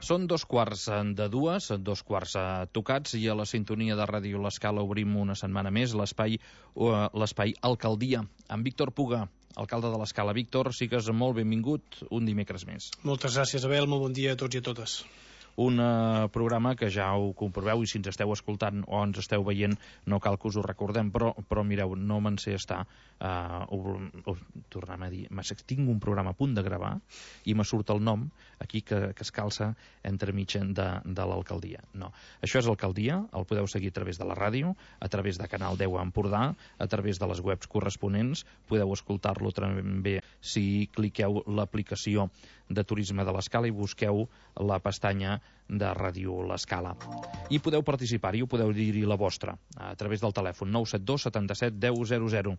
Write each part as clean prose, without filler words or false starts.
Són 2:15, 2:15 tocats, i a la sintonia de Ràdio L'Escala obrim una setmana més l'espai Alcaldia, amb Víctor Puga, alcalde de l'Escala. Víctor, sigues molt benvingut un dimecres més. Moltes gràcies, Abel, molt bon dia a tots i a totes. Un programa que ja ho comproveu, i si ens esteu escoltant o ens esteu veient no cal que us ho recordem, però mireu, no me'n sé estar tornem a dir, tinc un programa a punt de gravar i me surt el nom aquí que es calça entre mig de l'alcaldia. No, això és Alcaldia, el podeu seguir a través de la ràdio, a través de Canal 10 a Empordà, a través de les webs corresponents, podeu escoltar-lo també si cliqueu l'aplicació de Turisme de l'Escala i busqueu la pestanya de Ràdio L'Escala. I podeu participar-hi, podeu dir-hi la vostra, a través del telèfon 972 77 10 00.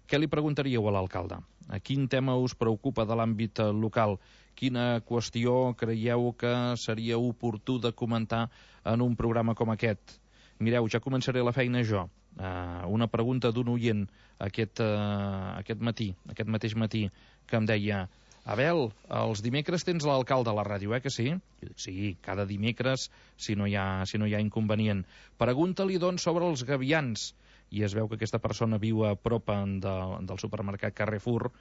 Què li preguntaríeu a l'alcalde? A quin tema us preocupa de l'àmbit local? Quina qüestió creieu que seria oportú de comentar en un programa com aquest? Mireu, ja començaré la feina jo. Una pregunta d'un oient aquest mateix matí, que em deia: Abel, els dimecres tens l'alcalde a la ràdio, que sí? Jo dic, sí, cada dimecres, si no hi ha inconvenient. Pregunta-li, doncs, sobre els gavians. I es veu que aquesta persona viu a prop del supermercat Carrefour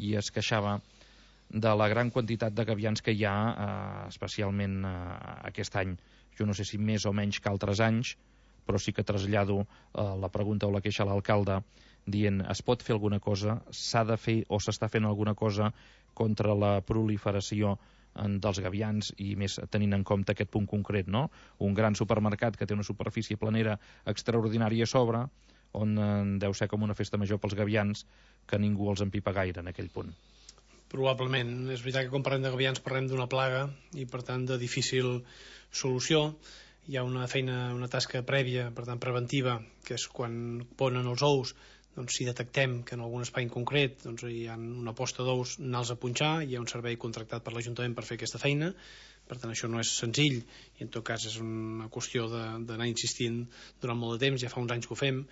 i es queixava de la gran quantitat de gavians que hi ha, especialment aquest any. Jo no sé si més o menys que altres anys, però sí que trasllado la pregunta o la queixa a l'alcalde dient: es pot fer alguna cosa, s'ha de fer o s'està fent alguna cosa contra la proliferació dels gavians, i més tenint en compte aquest punt concret, no? Un gran supermercat que té una superfície planera extraordinària a sobre, on deu ser com una festa major pels gavians, que ningú els empipa gaire en aquell punt. Probablement. És veritat que quan parlem de gavians parlem d'una plaga i per tant de difícil solució. Hi ha una feina, una tasca prèvia, per tant preventiva, que és quan ponen els ous, doncs si detectem que en algun espai en concret doncs hi ha una posta d'ous, anar-los a punxar. Hi ha un servei contractat per l'Ajuntament per fer aquesta feina, per tant això no és senzill i en tot cas és una qüestió d'anar insistint durant molt de temps. Ja fa uns anys que ho fem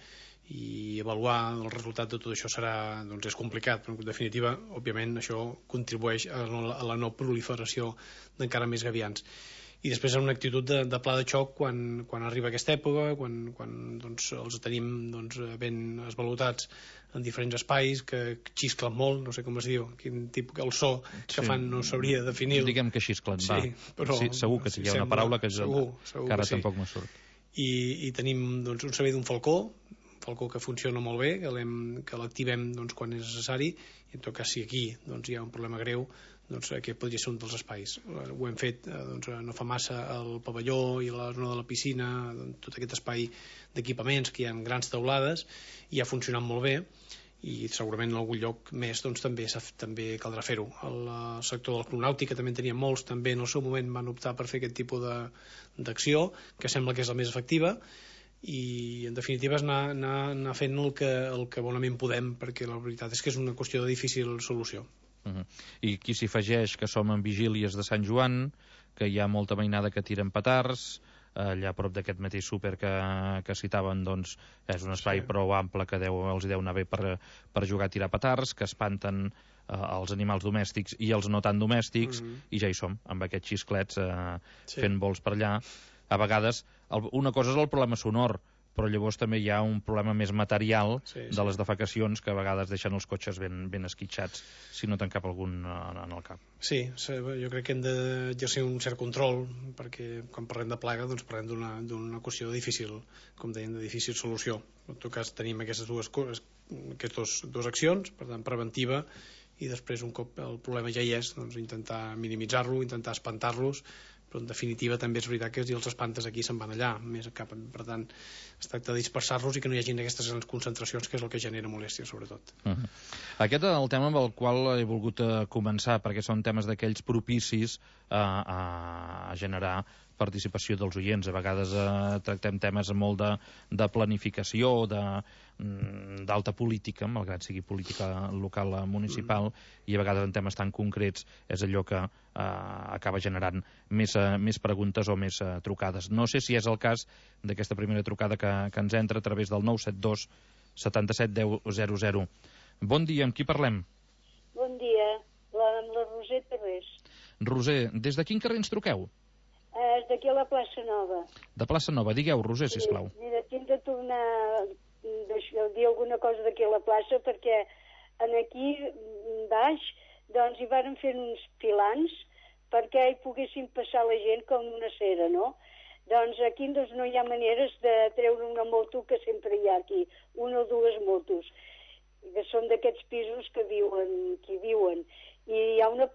i avaluar el resultat de tot això serà, doncs és complicat, però en definitiva òbviament això contribueix a la no proliferació d'encara més gavians. I després una actitud de pla de xoc quan arriba aquesta època, quan doncs, els tenim doncs, ben esvalutats en diferents espais que xisclen molt, no sé com es diu, quin tipus, el so que fan no sabria definir. Diguem que xisclen, va. Sí, però, sí, segur que sí, hi ha una paraula que segur ara que sí. Tampoc me surt. I tenim doncs, un servei d'un falcó que funciona molt bé, que l'activem doncs, quan és necessari, i en tot cas si aquí doncs, hi ha un problema greu, doncs aquest podria ser un dels espais. Ho hem fet doncs, no fa massa al pavelló i a la zona de la piscina, doncs, tot aquest espai d'equipaments que hi ha grans teulades, i ha funcionat molt bé, i segurament en algun lloc més doncs, també caldrà fer-ho. El sector de la cronàutica també en tenien molts, també en el seu moment van optar per fer aquest tipus d'acció, que sembla que és la més efectiva, i en definitiva és anar fent el que bonament podem, perquè la veritat és que és una qüestió de difícil solució. I aquí s'hi afegeix que som en vigílies de Sant Joan, que hi ha molta mainada que tiren petards, allà a prop d'aquest mateix súper que citaven, doncs és un espai prou ample que els deu anar bé per jugar a tirar petards, que espanten els animals domèstics i els no tan domèstics, i ja hi som, amb aquests xisclets fent vols per allà. A vegades, una cosa és el problema sonor, però llavors també hi ha un problema més material de les defecacions, que a vegades deixen els cotxes ben esquitxats si no te'n cap algun en el cap. Sí, jo crec que hem d'exercir un cert control, perquè quan parlem de plaga doncs parlem d'una qüestió difícil, com dèiem, de difícil solució. En tot cas tenim aquestes dues accions, per tant preventiva, i després un cop el problema ja hi és, doncs intentar minimitzar-lo, intentar espantar-los, però en definitiva també és veritat que si els espantes aquí se'n van allà, més cap, per tant es tracta de dispersar-los i que no hi hagin aquestes grans concentracions, que és el que genera molèstia sobretot. Aquest és el tema amb el qual he volgut començar, perquè són temes d'aquells propicis a generar participació dels oients. A vegades tractem temes molt de planificació, d'alta política, malgrat sigui política local municipal, i a vegades en temes tan concrets és allò que acaba generant més preguntes o més trucades. No sé si és el cas d'aquesta primera trucada que ens entra a través del 972 77 10 00. Bon dia, amb qui parlem? Bon dia, amb la Roser Terrés. Roser, des de quin carrer ens truqueu? És d'aquí a la plaça Nova. De plaça Nova. Digueu, Roser, sisplau. Mira, tinc de tornar a dir alguna cosa d'aquí a la plaça, perquè aquí baix doncs hi varen fer uns pilans perquè hi poguessin passar la gent com una cera, no? Doncs aquí doncs, no hi ha maneres de treure una moto, que sempre hi ha aquí, una o dues motos, que són d'aquests pisos que viuen. I hi ha una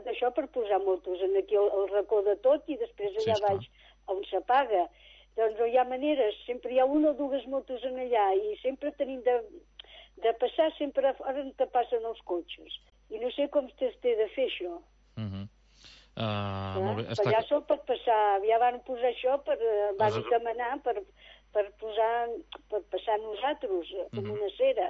d'això per posar motos, aquí al racó de tot, i després allà baix on s'apaga. Doncs no hi ha maneres, sempre hi ha una o dues motos en allà, i sempre tenim de passar sempre a fora on te passen els cotxes. I no sé com té de fer això. Molt bé. Allà sol pot passar, ja van posar això van demanar per passar nosaltres com una cera.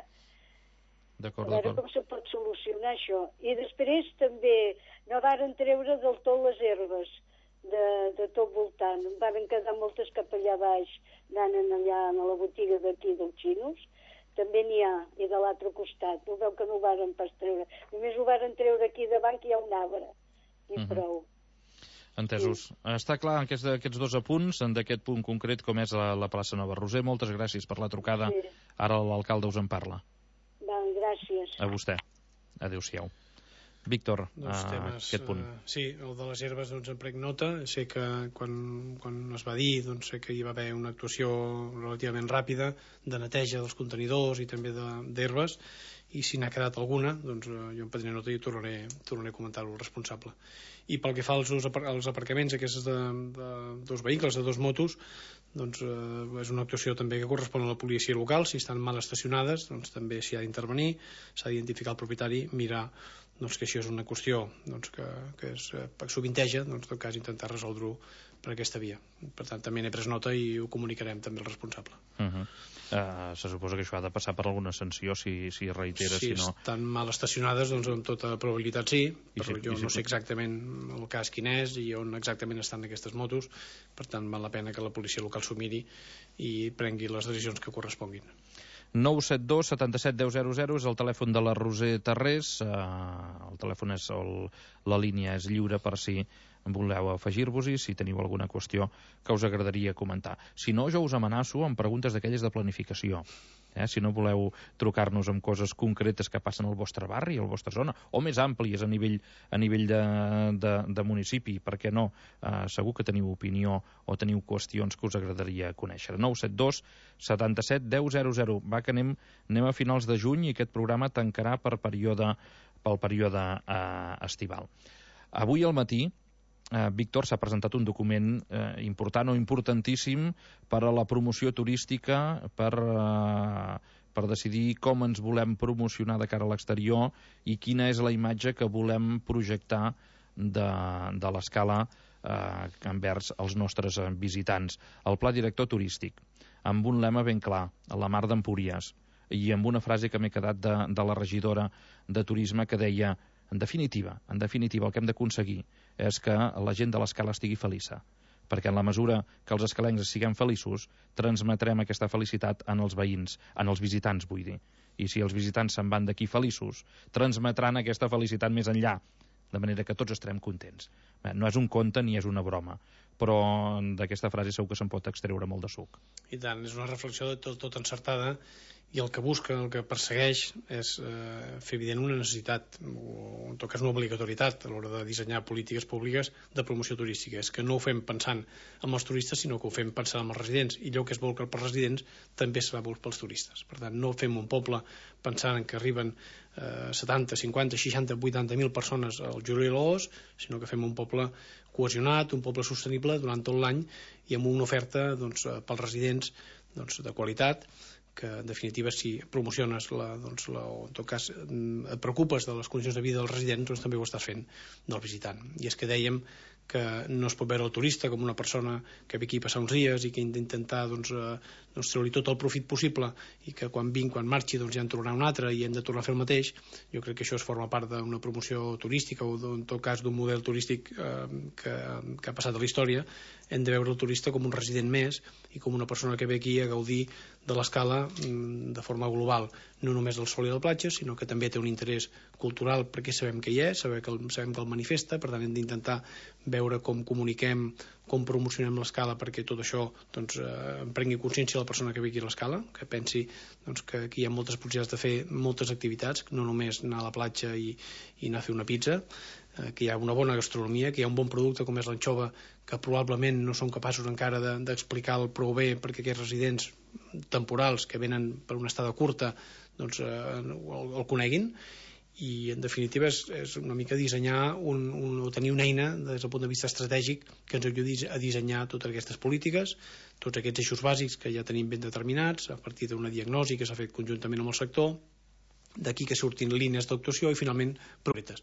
D'acord, a veure com se pot solucionar això. I després també no varen treure del tot les herbes de tot voltant. Varen quedar moltes cap allà baix, anant allà a la botiga d'aquí dels xinos. També n'hi ha, i de l'altre costat. No veu que no ho varen pas treure. Només ho varen treure aquí davant, que hi ha un arbre. I prou. Entesos. Està clar aquests dos apunts, d'aquest punt concret com és la plaça Nova. Roser, moltes gràcies per la trucada. Ara l'alcalde us en parla. Gràcies. A vostè. Adéu-siau. Víctor, aquest punt. Sí, el de les herbes en prenc nota. Sé que quan es va dir, sé que hi va haver una actuació relativament ràpida de neteja dels contenidors i també d'herbes, i si n'ha quedat alguna, jo en prendré nota i tornaré a comentar-ho al responsable. I pel que fa als aparcaments aquests de dos vehicles, de dos motos, és una actuació també que correspon a la policia local. Si estan mal estacionades, també s'hi ha d'intervenir, s'ha d'identificar el propietari, mirar que això és una qüestió que es sovinteja, en tot cas intentar resoldre-ho per aquesta via. Per tant, també n'he pres nota i ho comunicarem també al responsable. Se suposa que això ha de passar per alguna sanció si reitera, si no... Si estan mal estacionades, amb tota probabilitat sí, però jo no sé exactament el cas quin és i on exactament estan aquestes motos. Per tant, val la pena que la policia local s'ho miri i prengui les decisions que corresponguin. 972 77 10 00 és el telèfon de la Roser Tarrés. El telèfon la línia és lliure per si voleu afegir-vos-hi, si teniu alguna qüestió que us agradaria comentar. Si no, jo us amenaço amb preguntes d'aquelles de planificació. Si no voleu trucar-nos amb coses concretes que passen al vostre barri, a la vostra zona, o més àmplies a nivell de municipi, per què no? Segur que teniu opinió o teniu qüestions que us agradaria conèixer. 972 77 10 00. Va, que anem a finals de juny i aquest programa tancarà pel període estival. Avui al matí Víctor s'ha presentat un document important o importantíssim per a la promoció turística, per decidir com ens volem promocionar de cara a l'exterior i quina és la imatge que volem projectar de l'escala envers els nostres visitants. El Pla Director Turístic, amb un lema ben clar, a la Mar d'Empúries, i amb una frase que m'he quedat de la regidora de Turisme que deia: en definitiva, el que hem d'aconseguir és que la gent de l'escala estigui feliça, perquè en la mesura que els escalencs siguem feliços, transmetrem aquesta felicitat en els veïns, en els visitants, vull dir. I si els visitants se'n van d'aquí feliços, transmetran aquesta felicitat més enllà, de manera que tots estarem contents. No és un conte ni és una broma, però d'aquesta frase segur que se'n pot extreure molt de suc. I tant, és una reflexió tot encertada, i el que busca, el que persegueix és fer evident una necessitat, o en tot cas una obligatorietat a l'hora de dissenyar polítiques públiques de promoció turística. És que no ho fem pensant en els turistes, sinó que ho fem pensant en els residents, i allò que es vol pels residents també serà vol pels turistes. Per tant, no fem un poble pensant que arriben 70, 50, 60, 80.000 persones al juliol i l'agost, sinó que fem un poble cohesionat, un poble sostenible durant tot l'any i amb una oferta pels residents de qualitat, que en definitiva si promociones o en tot cas et preocupes de les condicions de vida dels residents, també ho estàs fent del visitant. I és que dèiem que no es pot veure el turista com una persona que ve aquí a passar uns dies i que intenta doncs, treure-li tot el profit possible i que quan marxi doncs, ja en tornarà un altre i hem de tornar a fer el mateix. Jo crec que això es forma part d'una promoció turística o en tot cas d'un model turístic que ha passat a la història. Hem de veure el turista com un resident més i com una persona que ve aquí a gaudir de l'escala de forma global, no només del sol i la platja, sinó que també té un interès cultural perquè sabem que hi és, sabem que el manifesta, per tant hem d'intentar veure com comuniquem, com promocionem l'escala perquè tot això doncs, en prengui consciència la persona que ve aquí a l'escala, que pensi doncs, que aquí hi ha moltes possibilitats de fer moltes activitats, no només anar a la platja i anar a fer una pizza, que hi ha una bona gastronomia, que hi ha un bon producte com és l'anxova, que probablement no són capaços encara d'explicar-lo prou bé perquè aquests residents temporals que venen per una estada curta doncs, el coneguin. I en definitiva és una mica dissenyar o tenir una eina des del punt de vista estratègic que ens ajudi a dissenyar totes aquestes polítiques, tots aquests eixos bàsics que ja tenim ben determinats a partir d'una diagnosi que s'ha fet conjuntament amb el sector, d'aquí que surtin línies d'actuació i finalment projectes.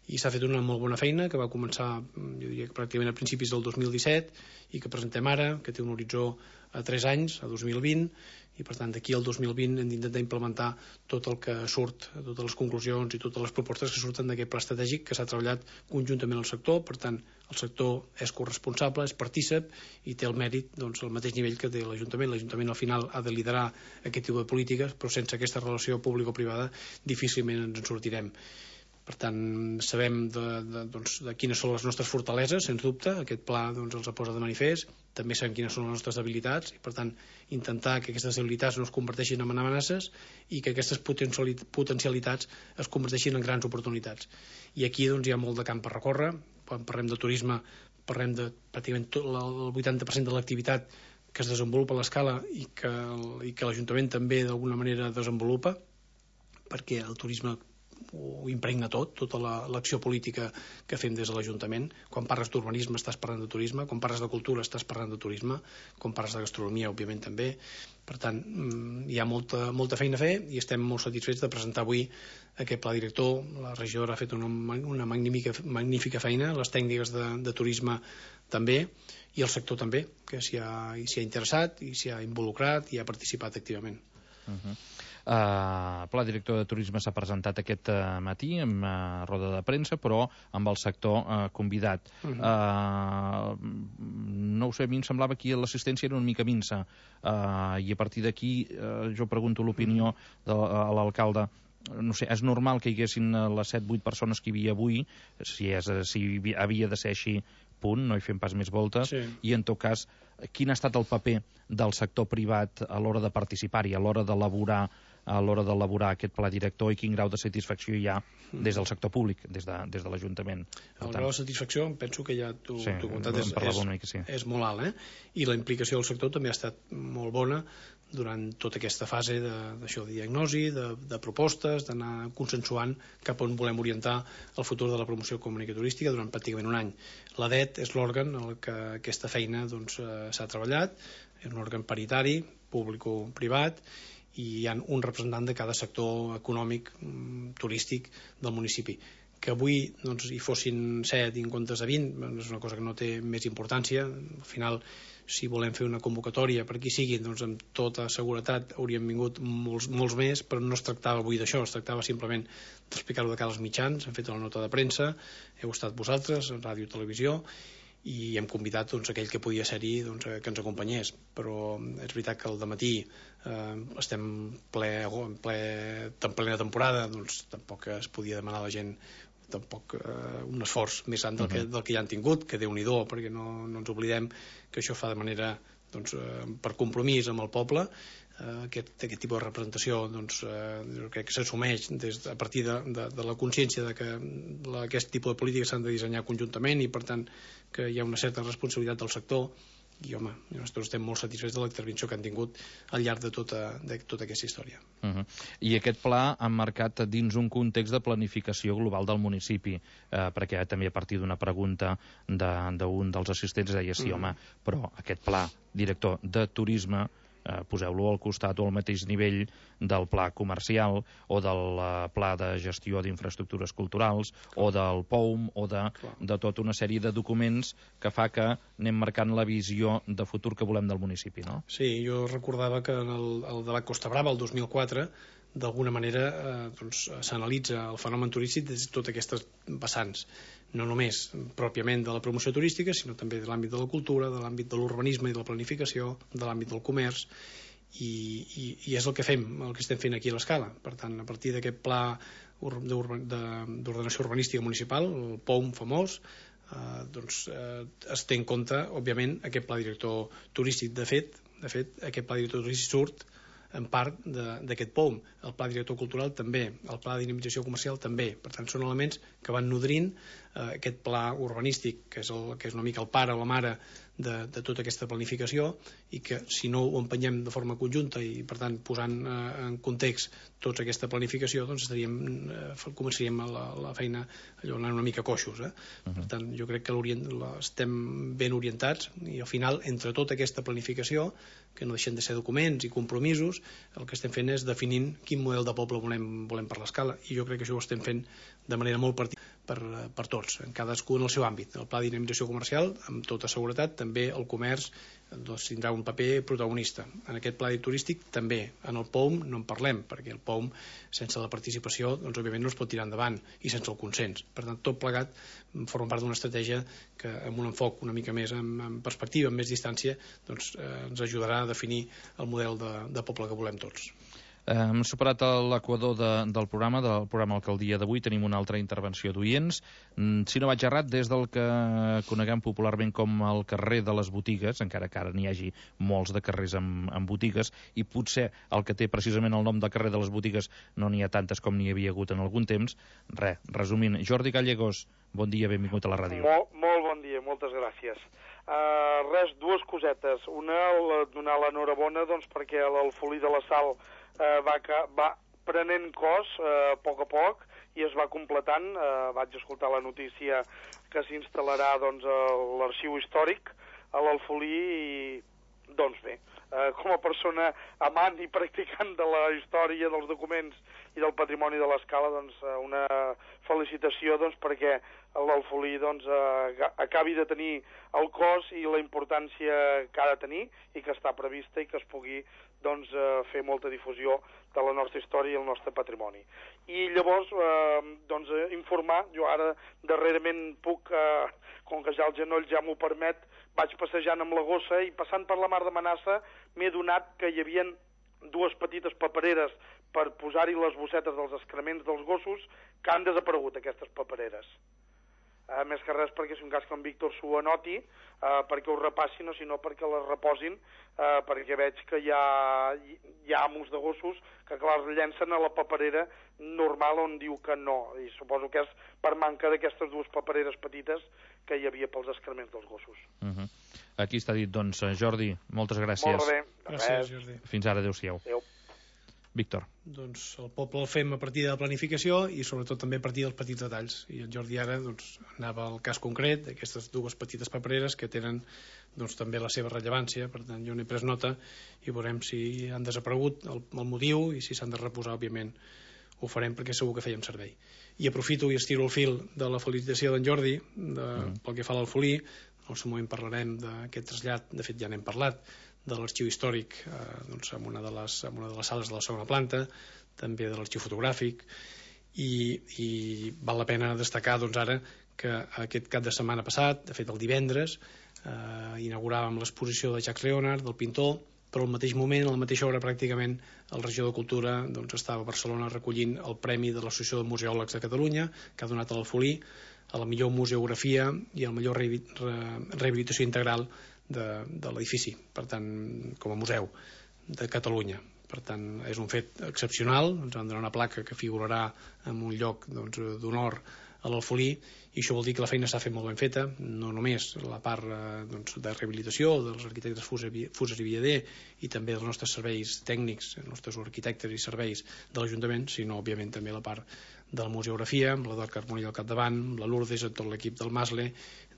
I s'ha fet una molt bona feina que va començar, jo diria que pràcticament a principis del 2017 i que presentem ara, que té un horitzó a 3 anys, a 2020, i per tant d'aquí al 2020 hem d'intentar implementar tot el que surt, totes les conclusions i totes les propostes que surten d'aquest pla estratègic que s'ha treballat conjuntament al sector. Per tant, el sector és corresponsable, és partícip i té el mèrit doncs, al mateix nivell que té l'Ajuntament. L'Ajuntament al final ha de liderar aquest tipus de polítiques, però sense aquesta relació público-privada difícilment ens en sortirem. Per tant, sabem de quines són les nostres fortaleses, sens dubte, aquest pla doncs, els posa de manifest, també sabem quines són les nostres debilitats i per tant intentar que aquestes debilitats no es converteixin en amenaces i que aquestes potencialitats es converteixin en grans oportunitats. I aquí doncs, hi ha molt de camp per recórrer. Quan parlem de turisme parlem de pràcticament el 80% de l'activitat que es desenvolupa a l'escala i que l'Ajuntament també d'alguna manera desenvolupa, perquè el turisme ho impregna tota l'acció política que fem des de l'Ajuntament. Quan parles d'urbanisme estàs parlant de turisme, quan parles de cultura estàs parlant de turisme, quan parles de gastronomia òbviament també. Per tant, hi ha molta feina a fer i estem molt satisfets de presentar avui aquest pla director. La regidora ha fet una magnífica feina, les tècniques de turisme també i el sector també, que s'hi ha interessat i s'hi ha involucrat i ha participat activament. El pla director de turisme s'ha presentat aquest matí en roda de premsa, però amb el sector convidat. No ho sé, a mi em semblava que l'assistència era una mica minsa i a partir d'aquí jo pregunto l'opinió a l'alcalde. No sé, és normal que hi haguessin les 7-8 persones que hi havia avui, si havia de ser així, punt, no hi fem pas més voltes, sí. I en tot cas, quin ha estat el paper del sector privat a l'hora de participar-hi, a l'hora d'elaborar aquest pla director i quin grau de satisfacció hi ha des del sector públic, des de l'Ajuntament. El grau de satisfacció, penso que ja t'ho he comentat, és molt alt, i la implicació del sector també ha estat molt bona durant tota aquesta fase de diagnosi, de propostes, d'anar consensuant cap on volem orientar el futur de la promoció econòmica turística durant pràcticament un any. L'ADET és l'òrgan en què aquesta feina s'ha treballat, és un òrgan paritari, público-privat, i hi ha un representant de cada sector econòmic turístic del municipi. Que avui hi fossin 7 en comptes de 20 és una cosa que no té més importància. Al final, si volem fer una convocatòria per qui sigui, doncs amb tota seguretat hauríem vingut molts més, però no es tractava avui d'això, es tractava simplement d'explicar-ho de cara als mitjans. Hem fet la nota de premsa, heu estat vosaltres, ràdio i televisió, i hem convidat aquell que podia ser-hi que ens acompanyés. Però és veritat que al dematí estem en plena temporada, doncs tampoc es podia demanar a la gent un esforç més gran del que ja han tingut, que Déu-n'hi-do, perquè no ens oblidem que això fa de manera per compromís amb el poble. Aquest tipus de representació crec que s'assumeix a partir de la consciència que aquest tipus de polítiques s'han de dissenyar conjuntament i per tant que hi ha una certa responsabilitat del sector i home, nosaltres estem molt satisfets de l'intervenció que han tingut al llarg de tota aquesta història. I aquest pla ha marcat dins un context de planificació global del municipi, perquè també a partir d'una pregunta d'un dels assistents deia sí, home, però aquest pla director de turisme poseu-lo al costat o al mateix nivell del pla comercial o del pla de gestió d'infraestructures culturals o del POUM o de tota una sèrie de documents que fa que anem marcant la visió de futur que volem del municipi, no? Sí, jo recordava que en el debat Costa Brava, el 2004, d'alguna manera s'analitza el fenomen turístic des de totes aquestes vessants, no només pròpiament de la promoció turística, sinó també de l'àmbit de la cultura, de l'àmbit de l'urbanisme i de la planificació, de l'àmbit del comerç, i és el que fem, el que estem fent aquí a l'Escala. Per tant, a partir d'aquest pla d'ordenació urbanística municipal, el POUM famós, es té en compte, òbviament, aquest pla director turístic. De fet, aquest pla director turístic surt en part d'aquest POUM. El pla director cultural també, el pla de dinamització comercial també. Per tant, són elements que van nodrint aquest pla urbanístic, que és una mica el pare o la mare de tota aquesta planificació, i que si no ho empenyem de forma conjunta i per tant posant en context tota aquesta planificació, doncs començaríem la feina allò anant una mica coixos. Per tant, jo crec que estem ben orientats i al final, entre tota aquesta planificació, que no deixen de ser documents i compromisos, el que estem fent és definint quin model de poble volem per l'Escala, i jo crec que això ho estem fent de manera molt per tots, en cadascú en el seu àmbit. El pla de dinamització comercial, amb tota seguretat, també el comerç tindrà un paper protagonista. En aquest pla turístic també. En el POUM no en parlem, perquè el POUM, sense la participació, doncs òbviament no es pot tirar endavant, i sense el consens. Per tant, tot plegat forma part d'una estratègia que, amb un enfoc una mica més en perspectiva, amb més distància, doncs ens ajudarà a definir el model de poble que volem tots. Hem superat l'equador del programa Alcaldia d'avui. Tenim una altra intervenció d'oients. Si no vaig errat, des del que coneguem popularment com el carrer de les botigues, encara que ara n'hi hagi molts de carrers amb botigues, i potser el que té precisament el nom de carrer de les botigues no n'hi ha tantes com n'hi havia hagut en algun temps. Resumint, Jordi Gallegos, bon dia, benvingut a la ràdio. Molt bon dia, moltes gràcies. Dues cosetes. Una, donar l'enhorabona perquè l'Alfolí de la Sal va prenent cos a poc i es va completant. Vaig escoltar la notícia que s'instal·larà l'arxiu històric a l'Alfolí i doncs bé, com a persona amant i practicant de la història, dels documents i del patrimoni de l'Escala, una felicitació perquè l'Alfolí acabi de tenir el cos i la importància que ha de tenir i que està prevista i que es pugui fer molta difusió de la nostra història i el nostre patrimoni. I llavors, informar, jo ara darrerament puc, com que ja el genoll ja m'ho permet, vaig passejant amb la gossa i passant per la mar de Manassa m'he adonat que hi havia dues petites papereres per posar-hi les bossetes dels excrements dels gossos que han desaparegut, aquestes papereres. Més que res perquè si un cas que en Víctor s'ho anoti, perquè ho repassin o si no perquè les reposin, perquè veig que hi ha amos de gossos que clar els llencen a la paperera normal on diu que no, i suposo que és per manca d'aquestes dues papereres petites que hi havia pels excrements dels gossos. Aquí està dit, Jordi, moltes gràcies. Molt bé. Gràcies, Jordi. Fins ara, adéu-siau. Adéu. Víctor. Doncs el poble el fem a partir de la planificació i sobretot també a partir dels petits detalls. I en Jordi ara anava al cas concret d'aquestes dues petites papereres que tenen també la seva rellevància. Per tant, jo n'he pres nota i veurem si han desaparegut el motiu i si s'han de reposar, òbviament ho farem perquè segur que fèiem servei. I aprofito i estiro el fil de la felicitació d'en Jordi pel que fa a l'Alfolí. En el seu moment parlarem d'aquest trasllat, de fet ja n'hem parlat, de l'arxiu històric en una de les sales de la segona planta, també de l'arxiu fotogràfic, i val la pena destacar ara que aquest cap de setmana passat, de fet el divendres, inauguràvem l'exposició de Jacques Leonard, del pintor, però al mateix moment, a la mateixa hora pràcticament, el regidor de Cultura estava a Barcelona recollint el Premi de l'Associació de Museòlegs de Catalunya, que ha donat a l'Alfolí a la millor museografia i a la millor rehabilitació integral de l'edifici, per tant, com a museu de Catalunya. Per tant, és un fet excepcional. Ens van donar una placa que figurarà en un lloc d'honor a l'Alfolí, i això vol dir que la feina s'ha fet molt ben feta, no només la part de rehabilitació dels arquitectes Fuses i Villader i també dels nostres serveis tècnics, els nostres arquitectes i serveis de l'Ajuntament, sinó òbviament també la part de la museografia, amb la Dor Carboni al capdavant, amb la Lourdes, amb tot l'equip del Masle,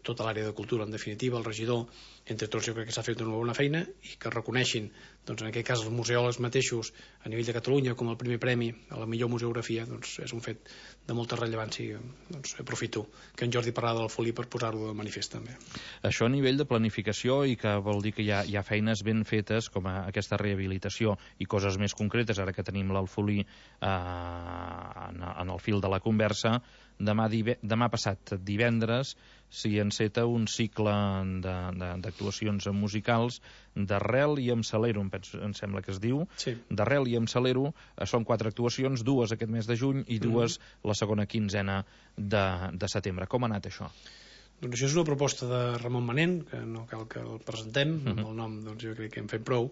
tota l'àrea de cultura, en definitiva, el regidor, entre tots jo crec que s'ha fet una bona feina, i que reconeixin, doncs en aquest cas els museòlegs mateixos a nivell de Catalunya com el primer premi a la millor museografia, doncs és un fet de molta rellevància. Doncs aprofito que en Jordi parla del Folí per posar-ho de manifest també. Això a nivell de planificació, i que vol dir que hi ha feines ben fetes com aquesta rehabilitació i coses més concretes, ara que tenim l'Alfolí en el fil de la conversa. Demà passat divendres s'hi enceta un cicle d'actuacions musicals d'Arrel i amb Salero, em sembla que es diu. Sí. D'Arrel i amb Salero són 4 actuacions, 2 aquest mes de juny i 2 la segona quinzena de setembre. Com ha anat això? Doncs això és una proposta de Ramon Manent, que no cal que el presentem, amb el nom doncs, jo crec que hem fet prou.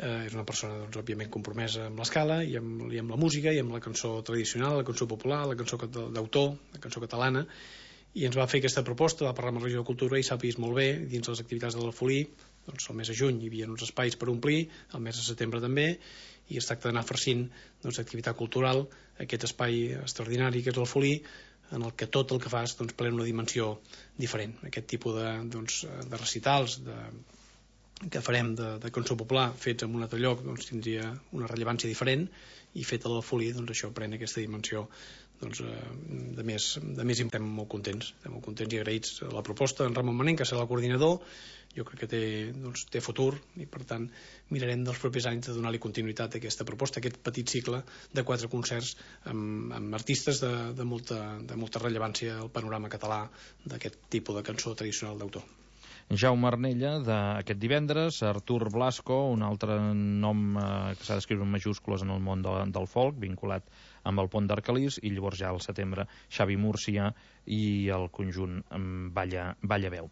És una persona, doncs, òbviament compromesa amb l'escala i amb la música i amb la cançó tradicional, la cançó popular, la cançó d'autor, la cançó catalana, i ens va fer aquesta proposta, va parlar amb el regidor de Cultura i s'ha vist molt bé dins les activitats de l'Alfolí. Doncs el mes de juny hi havia uns espais per omplir, el mes de setembre també, i es tracta d'anar farcint activitat cultural, aquest espai extraordinari que és l'Alfolí, en el que tot el que fas pren una dimensió diferent. Aquest tipus de recitals, que farem de cançó popular fets en un altre lloc, tindria una rellevància diferent, i fet a l'Alfolí això pren aquesta dimensió de més. Estem molt contents i agraïts a la proposta d'en Ramon Manent, que serà el coordinador. Jo crec que té futur, i per tant mirarem dels propers anys de donar-li continuïtat a aquesta proposta, aquest petit cicle de 4 concerts amb artistes de molta rellevància al panorama català d'aquest tipus de cançó tradicional d'autor. Jaume Arnella, d'aquest divendres, Artur Blasco, un altre nom que s'ha d'escriure en majúscules en el món del folk, vinculat amb el Pont d'Arcalís, i llavors ja al setembre Xavi Múrcia i el conjunt Balla Veu.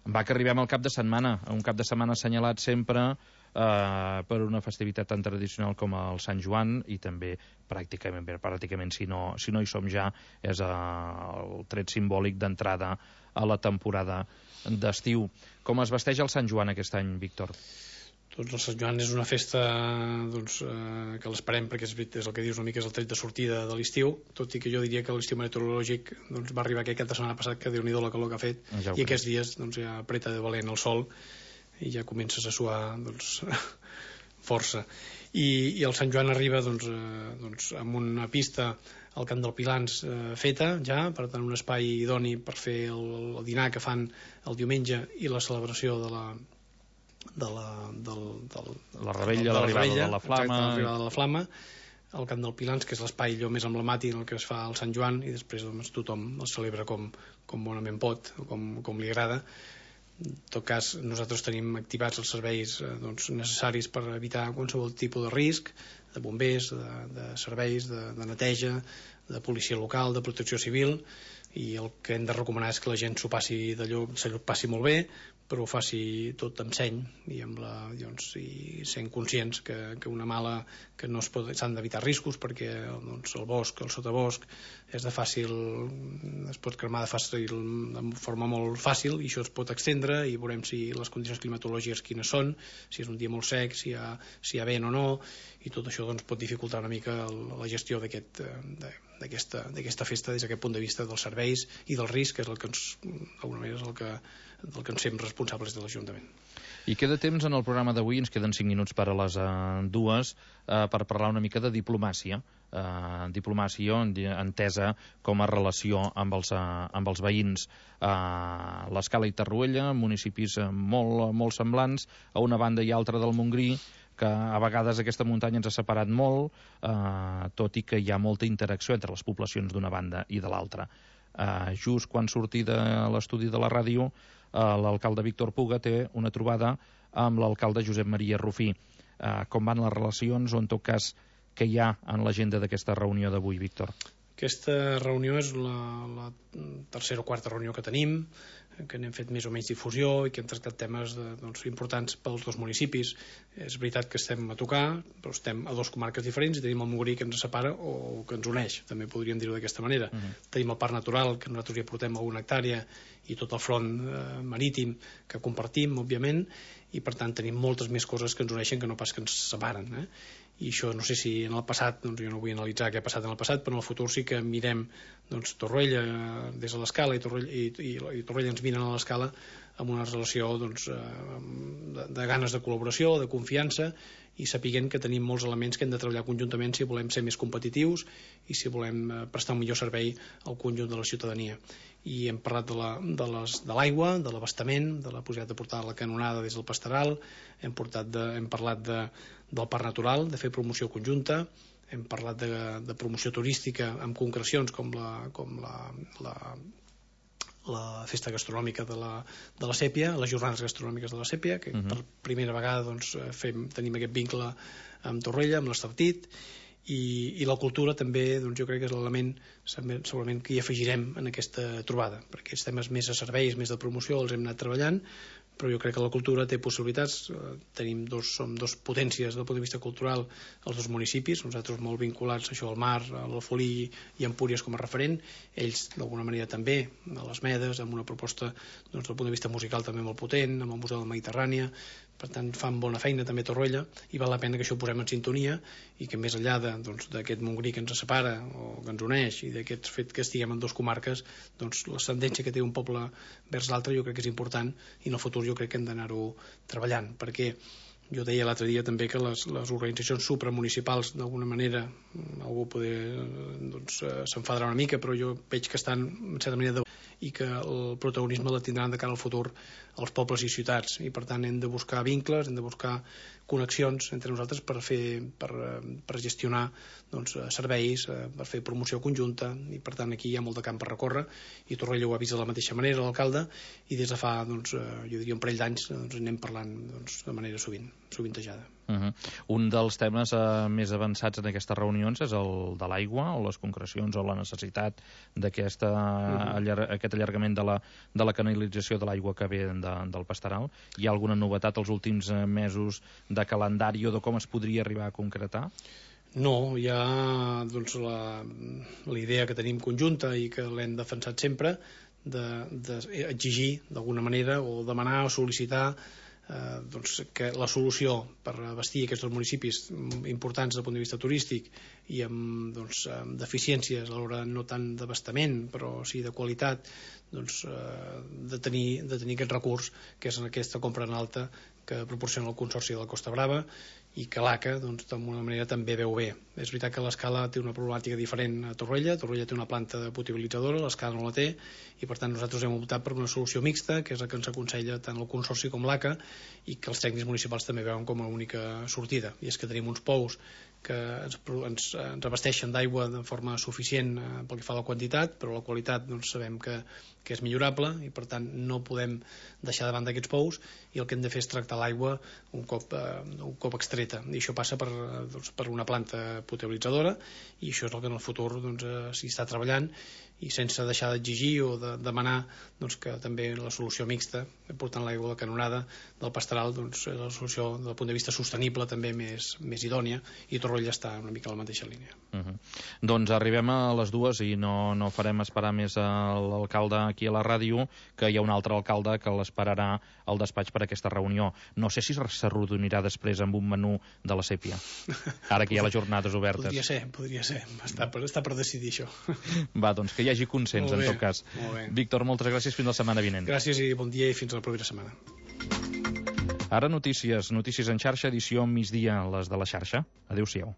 Va que arribem al cap de setmana, un cap de setmana assenyalat sempre per una festivitat tan tradicional com el Sant Joan, i també pràcticament si no hi som ja, és el tret simbòlic d'entrada a la temporada d'estiu. Com es vesteix el Sant Joan aquest any, Víctor? Doncs el Sant Joan és una festa que l'esperem, perquè és el que dius una mica, és el tret de sortida de l'estiu, tot i que jo diria que l'estiu meteorològic va arribar aquest cap de setmana passat, que Déu-n'hi-do la calor que ha fet, i aquests dies ja apreta de valent el sol i ja comences a suar força. I el Sant Joan arriba amb una pista al Camp del Pilans feta ja, per tant un espai idoni per fer el dinar que fan el diumenge i la celebració de la rebella, l'arribada de la flama. Exacte, l'arribada de la flama, al Camp del Pilans, que és l'espai allò més emblemàtic en el que es fa el Sant Joan, i després tothom el celebra com bonament pot, com li agrada. En tot cas, nosaltres tenim activats els serveis necessaris per evitar qualsevol tipus de risc, de bombers, de serveis, de neteja, de policia local, de protecció civil, i el que hem de recomanar és que la gent s'ho passi molt bé, però ho faci tot amb seny i i sent conscients que una mala que no s'han d'evitar riscos, perquè el bosc, el sotabosc es pot cremar de forma molt fàcil, i això es pot extendre, i veurem si les condicions climatològiques quines són, si és un dia molt sec, si hi ha vent o no, i tot això pot dificultar una mica la gestió d'aquesta festa des d'aquest punt de vista dels serveis i del risc, que és el que d'alguna manera és el que ens fem responsables de l'Ajuntament. I queda temps en el programa d'avui, ens queden 5 minuts per a les 2, per parlar una mica de diplomàcia. Diplomàcia entesa com a relació amb els veïns. L'Escala i Tarruella, municipis molt semblants, a una banda i altra del Montgrí, que a vegades aquesta muntanya ens ha separat molt, tot i que hi ha molta interacció entre les poblacions d'una banda i de l'altra. Just quan surti de l'estudi de la ràdio, l'alcalde Víctor Puga té una trobada amb l'alcalde Josep Maria Rufí. Com van les relacions, o en tot cas què hi ha en l'agenda d'aquesta reunió d'avui, Víctor? Aquesta reunió és la tercera o quarta reunió que tenim, que n'hem fet més o menys difusió i que hem tractat temes importants pels dos municipis. És veritat que estem a tocar, però estem a 2 comarques diferents i tenim el Montgrí que ens separa o que ens uneix, també podríem dir-ho d'aquesta manera. Tenim el parc natural, que nosaltres hi aportem alguna hectàrea, i tot el front marítim que compartim, òbviament, i per tant tenim moltes més coses que ens uneixen que no pas que ens separen. i això no sé si en el passat, doncs jo no vull analitzar què ha passat en el passat, però en el futur sí que mirem doncs, Torroella des de l'escala i Torroella ens miren a l'escala amb una relació doncs, de ganes de col·laboració, de confiança, i sapiguent que tenim molts elements que hem de treballar conjuntament si volem ser més competitius i si volem prestar un millor servei al conjunt de la ciutadania. I hem parlat de l'aigua, de l'abastament, de la possibilitat de portar la canonada des del Pastoral, hem parlat del parc natural, de fer promoció conjunta, hem parlat de promoció turística amb concrecions com la festa gastronòmica de la Sèpia, les jornades gastronòmiques de la Sèpia, que per primera vegada doncs, tenim aquest vincle amb Torroella, amb l'Estartit, i la cultura també doncs, jo crec que és l'element segurament que hi afegirem en aquesta trobada, perquè els temes més a serveis, més de promoció els hem anat treballant, però jo crec que la cultura té possibilitats. Som dos potències del punt de vista cultural els dos municipis, nosaltres molt vinculats a això al mar, a l'Alfolí i a Empúries com a referent, ells d'alguna manera també a les Medes, amb una proposta doncs, del punt de vista musical també molt potent, amb el Museu de la Mediterrània, per tant fan bona feina també a Torroella, i val la pena que això ho posem en sintonia i que més enllà d'aquest Montgrí que ens separa o que ens uneix i d'aquest fet que estiguem en dues comarques, doncs l'ascendència que té un poble vers l'altre jo crec que és important, i en el futur jo crec que hem d'anar-ho treballant, perquè jo deia l'altre dia també que les organitzacions supramunicipals d'alguna manera, algú s'enfadarà una mica, però jo veig que estan en certa manera i que el protagonisme la tindran de cara al futur als pobles i ciutats, i per tant hem de buscar vincles, hem de buscar connexions entre nosaltres per gestionar doncs, serveis, per fer promoció conjunta, i per tant aquí hi ha molt de camp per recórrer, i Torroella ho ha vist de la mateixa manera l'alcalde, i des de fa doncs, jo diria un parell d'anys doncs, anem parlant doncs, de manera sovintejada. Un dels temes més avançats en aquestes reunions és el de l'aigua, o les concrecions o la necessitat d'aquest allargament de la canalització de l'aigua que ve del Pastoral. Hi ha alguna novetat els últims mesos de calendari o de com es podria arribar a concretar? No, hi ha doncs, la idea que tenim conjunta i que l'hem defensat sempre d'exigir d'alguna manera o demanar o sol·licitar doncs, que la solució per abastir aquests municipis importants des del punt de vista turístic i amb deficiències a l'hora no tant d'abastament però sí de qualitat, doncs, de tenir aquest recurs que és aquesta compra en alta que proporciona el Consorci de la Costa Brava i que l'ACA doncs, d'alguna manera també veu bé. És veritat que l'Escala té una problemàtica diferent a Torroella té una planta potabilitzadora, l'Escala no la té, i per tant nosaltres hem optat per una solució mixta, que és la que ens aconsella tant el Consorci com l'ACA, i que els tècnics municipals també veuen com a única sortida, i és que tenim uns pous que ens abasteixen d'aigua de forma suficient pel que fa a la quantitat, però la qualitat doncs, sabem que és millorable, i per tant no podem deixar de banda aquests pous, i el que hem de fer és tractar l'aigua un cop extreta, i això passa per una planta potabilitzadora, i això és el que en el futur s'hi està treballant, i sense deixar d'exigir o de demanar doncs, que també la solució mixta, portant l'aigua a la canonada del Pastoral, doncs, és la solució del punt de vista sostenible també més idònia, i Torroella està una mica a la mateixa línia. Doncs arribem a les 2 i no farem esperar més l'alcalde aquí a la ràdio, que hi ha un altre alcalde que l'esperarà al despatx per aquesta reunió. No sé si s'arrodonirà després amb un menú de la Sèpia, ara que hi ha les jornades obertes. Podria ser. Està per decidir això. Va, doncs que hi hagi consens, en tot cas. Víctor, moltes gràcies, fins la setmana vinent. Gràcies i bon dia i fins la propera setmana. Ara notícies en xarxa, edició migdia, les de la xarxa. Adéu-siau.